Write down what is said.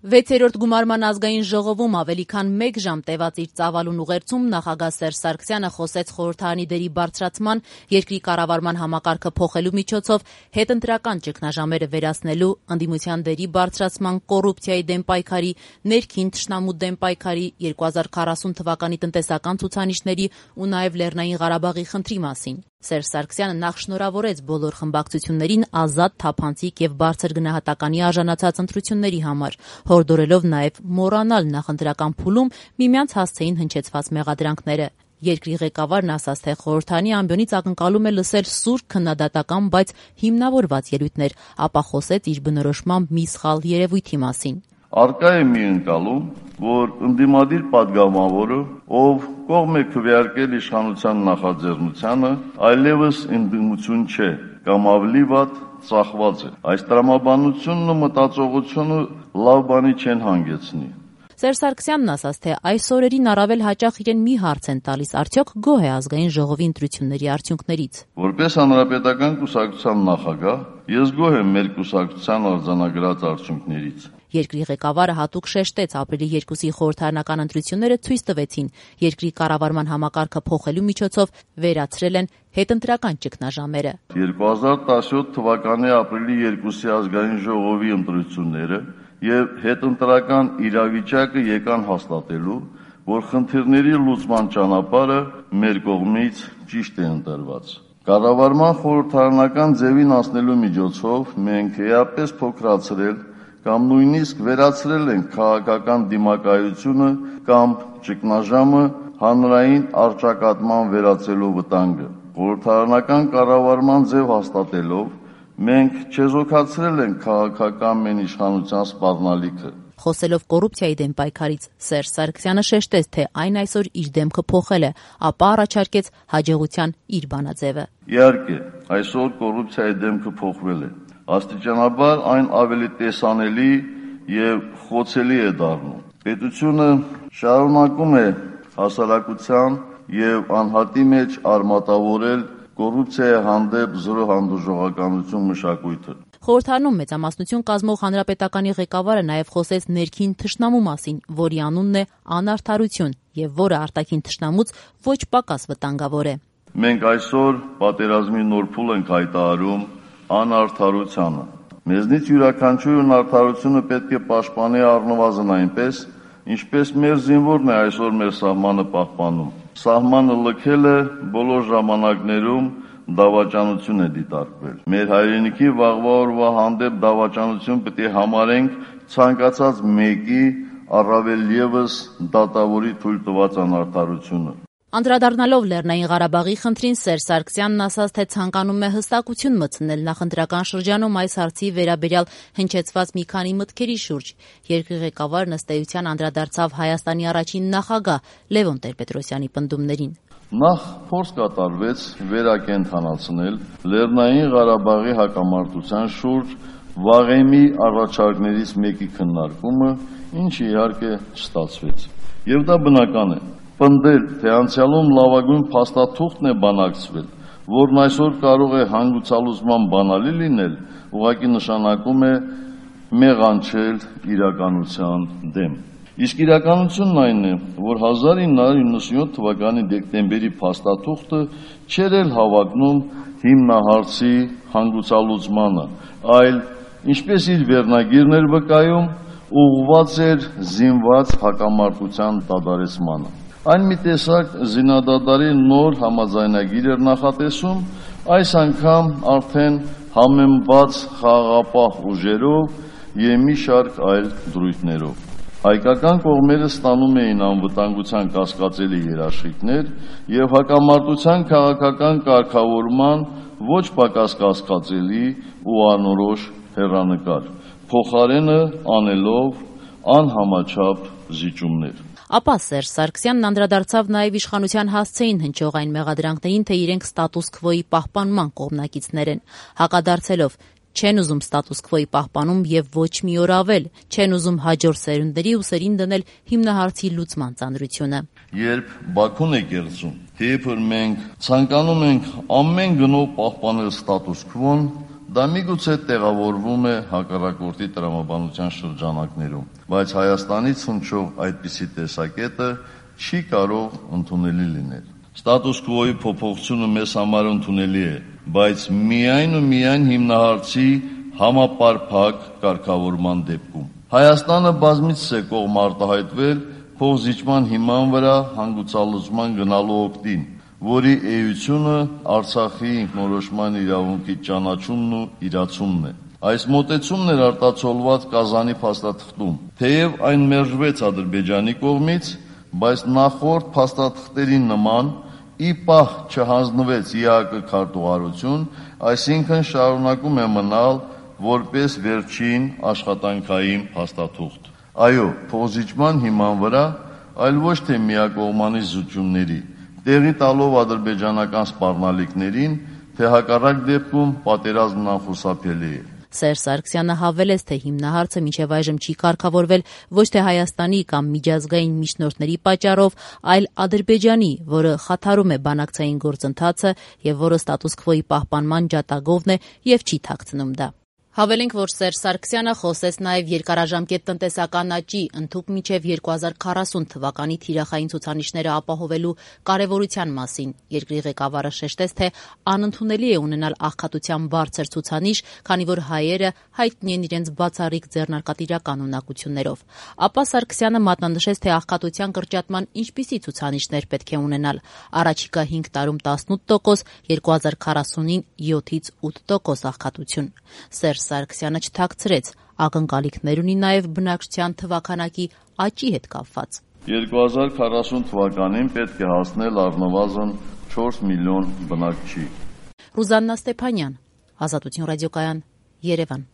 6-րդ գումարման ազգային ժողովում ավելի քան 1 ժամ տևած իր ծավալուն ուղերձում նախագահ Սերժ Սարգսյանը խոսեց խորհրդարանի դերի բարձրացման, երկրի կառավարման համակարգը փոխելու միջոցով հետընտրական ճգնաժամերը վերացնելու, ընդդիմության դերի բարձրացման, կոռուպցիայի դեմ պայքարի, ներքին թշնամու դեմ պայքարի, 2040 թվականի տնտեսական ցուցանիշների ու նաև Լեռնային Ղարաբաղի խնդրի մասին։ Սերժ Սարգսյանը նախ շնորհավորեց բոլոր խմբակցություններին ազատ, թափանցիկ եւ բարձր գնահատականի արժանացած ընտրությունների համար, հորդորելով նաև մոռանալ նախընտրական փուլում միմյանց հասցեին հնչեցված մեղադրանքները։ Երկրի ղեկավարն ասաց, թե խորհրդարանի ամբիոնից ակնկալում է լսել սուր, քննադատական, բայց հիմնավորված ելույթներ, ապա խոսեց իր բնորոշմամբ մի սխալ երևույթի մասին։ Արկա է մի ընկալում, որ ընդդիմադիր падգամավորը, ով կողմ է քվեարկել իշխանության նախաձեռնությանը, այլևս ընդդիմություն չէ կամ ավելի վատ ծախված է։ Այս տրամաբանությունն ու մտածողությունը լավ բանի չեն հանգեցնի։ Սերժ Սարգսյանն ասաց, թե այս օրերին առավել հաճախ իրեն մի հարց են տալիս, արդյոք գոհ է ազգային ժողովի ընտրությունների արդյունքներից։ Որպես հանրապետական կուսակցության նախագահ, ես գոհ եմ մեր կուսակցության արձանագրած արդյունքներից։ Երկրի ղեկավարը հատուկ շեշտեց, ապրիլի 2-ի խորհրդարանական ընտրությունները ցույց տվեցին, երկրի կառավարման համակարգը փոխելու միջոցով վերացրել են հետընտրական ճգնաժամերը։ 2017 թվականի ապրիլի 2-ի ազգային ժողովի ընտրությունները եւ հետընտրական իրավիճակը եկան հաստատելու, որ խնդիրների լուծման ճանապարհը մեր կողմից ճիշտ է ընտրված։ Կառավարման խորհրդարանական ձևին անցնելու միջոցով մենք էապես փոքրացրել կամ նույնիսկ վերացրել ենք քաղաքական դիմակայությունը կամ ճգնաժամը հանրային առճակատման վերածելու վտանգը։ Խորհրդարանական կառավարման ձև հաստատելով մենք չեզոքացրել ենք քաղաքական մենիշխանության սպառնալիքը։ Խոսելով կոռուպցիայի դեմ պայքարից, Սերժ Սարգսյանը շեշտեց, թե այն այսօր իր դեմքը փոխել է, ապա առաջարկեց հաջողության իր բանաձևը։ Իհարկե, այսօր կոռուպցիայի դեմքը փոխվել է։ Աստիճանաբար այն ավելի տեսանելի եւ խոցելի է դառնում։ Պետությունը շարունակում է հասարակության եւ անհատի մեջ արմատավորել կոռուպցիայի հանդեպ զրո հանդուրժողականություն մշակույթը։ Խորհրդարանում մեծամասնություն կազմող հանրապետականի ղեկավարը նաև խոսեց ներքին թշնամու մասին, որի անունն է անարդարություն եւ որը արտաքին թշնամուց ոչ պակաս վտանգավոր է։ Մենք այսօր պատերազմի նոր փուլ ենք հայտարարում անարդարությանը։ Մեզնից յուրաքանչյուրն արդարությունը պետք է պաշտպանի առնվազն այնպես, ինչպես մեր զինվորն է այսօր մեր սահմանը պահպանում։ Սահմանը լքելը բոլոր ժամանակներում դավաճանություն է դիտարկվել։ Մեր հայրենիքի վաղվա օրվա հանդեպ դավաճանություն պետք է համարենք ցանկացած մեկի, առավել ևս դատավորի թույլ տված անարդարությունը։ Անդրադառնալով Լեռնային Ղարաբաղի խնդրին, Սերժ Սարգսյանն ասաց, թե ցանկանում է հստակություն մտցնել նախընտրական շրջանում այս հարցի վերաբերյալ հնչեցված մի քանի մտքերի շուրջ։ Երկրի ղեկավարն ըստ էության անդրադարձավ Հայաստանի առաջին նախագահ Լևոն Տեր-Պետրոսյանի պնդումներին։ Նախ փորձ կատարվեց վերակենդանացնել Լեռնային Ղարաբաղի հակամարտության շուրջ վաղեմի առաջարկներից մեկի քննարկումը, ինչը իհարկե չստացվեց։ Եվ դա բնական է։ Պնդել, թե անցյալում լավագույն փաստաթուղթն է բանակցվել, որն այսօր կարող է հանգուցալուծման բանալի լինել, ուղղակի նշանակում է մեղանչել իրականության դեմ։ Իսկ իրականությունն այն է, որ 1997 թվականի դեկտեմբերի փաստաթուղթը չէր էլ հավակնում հիմնահարցի հանգուցալուծմանը, այլ, ինչպես իր վերնագիրն էր վկայում, ուղղված էր զինված հակամարտության դադարեցմանը։ Այն մի տեսակ զինադադարի նոր համաձայնագիր էր նախատեսում, այս անգամ արդեն համեմված խաղաղապահ ուժերով եւ մի շարք այլ դրույթներով։ Հայկական կողմերը ստանում էին անվտանգության կասկածելի երաշխիքներ եւ հակամարտության քաղաքական կարգավորման ոչ պակաս կասկածելի ու անորոշ հեռանկար, փոխարենը անելով անհամաչափ զիջումներ։ Ապա Սերժ Սարգսյանն անդրադարձավ նաև իշխանության հասցեին հնչող այն մեղադրանքներին, թե իրենք ստատուս քվոյի պահպանման կողմնակիցներ են, հակադարձելով չեն ուզում ստատուս քվոյի պահպանում եւ ոչ մի օր ավել, չեն ուզում հաջորդ սերունդների ուսերին դնել հիմնահարցի լուծման ծանրությունը։ Երբ Բաքուն է կերծում, թե երբ մենք ցանկանում ենք ամեն գնով պահպանել ստատուս քվոն, Դա միգուցե տեղավորվում է հակառակորդի տրամաբանության շրջանակներում, բայց Հայաստանից հնչող այդպիսի տեսակետը չի կարող ընդունելի լինել։ Ստատուս քվոյի փոփոխությունը մեզ համար ընդունելի է, բայց միայն ու միայն հիմնահարցի համապարփակ կարգավորման դեպքում։ Հայաստանը բազմիցս է կողմ արտահայտվել փոխզիջման հիման վրա հանգուցալուծման գնալու օգտին, որի էությունը Արցախի ինքնորոշման իրավունքի ճանաչումն ու իրացումն է։ Այս մոտեցումն էր արտացոլված Կազանի փաստաթղթում, թեև այն մերժվեց Ադրբեջանի կողմից, բայց նախորդ փաստաթղթերի նման ի պահ չհանձնվեց ԵԱԿ քարտուղարություն, այսինքն շարունակում է մնալ որպես վերջին աշխատանքային փաստաթուղթ։ Այո, փոխզիջման հիման վրա, այլ ոչ թե միակողմանի զուջումների, տեղի տալով ադրբեջանական սպառնալիքներին, թե հակառակ դեպքում պատերազմն անխուսափելի է։ Սերժ Սարգսյանը հավելեց, թե հիմնահարցը մինչև այժմ չի կարգավորվել ոչ թե Հայաստանի կամ միջազգային միջնորդների պատճառով, այլ Ադրբեջանի, որը խաթարում է բանակցային գործընթացը եւ որը ստատուս քվոյի պահպանման ջատագովն է եւ չի թաքցնում դա։ Հավելենք, որ Սերժ Սարգսյանը խոսեց նաև երկարաժամկետ տնտեսական աճի ընդհուպ մինչև 2040 թվականի թիրախային ցուցանիշները ապահովելու կարևորության մասին։ Երկրի ղեկավարը շեշտեց, թե անընդունելի է ունենալ աղքատության բարձր ցուցանիշ, քանի որ հայերը հայտնի են իրենց բացառիկ ձեռնարկատիրական ունակություններով։ Ապա Սարգսյանը մատնանշեց, թե աղքատության կրճատման ինչպիսի ցուցանիշներ պետք է ունենալ։ Առաջիկա 5 տարում 18%, 2040-ին 7-ից 8% աղքատություն։ Սերժ Սարգսյանը չթաքցրեց, ակնկալիքներ ունի նաև բնակչության թվաքանակի աճի հետ կապված։ 2040 թվականին պետք է հասնել առնվազն 4 միլիոն բնակչի։ Ռուզաննա Ստեփանյան, Ազատություն ռադիոկայան, Երևան։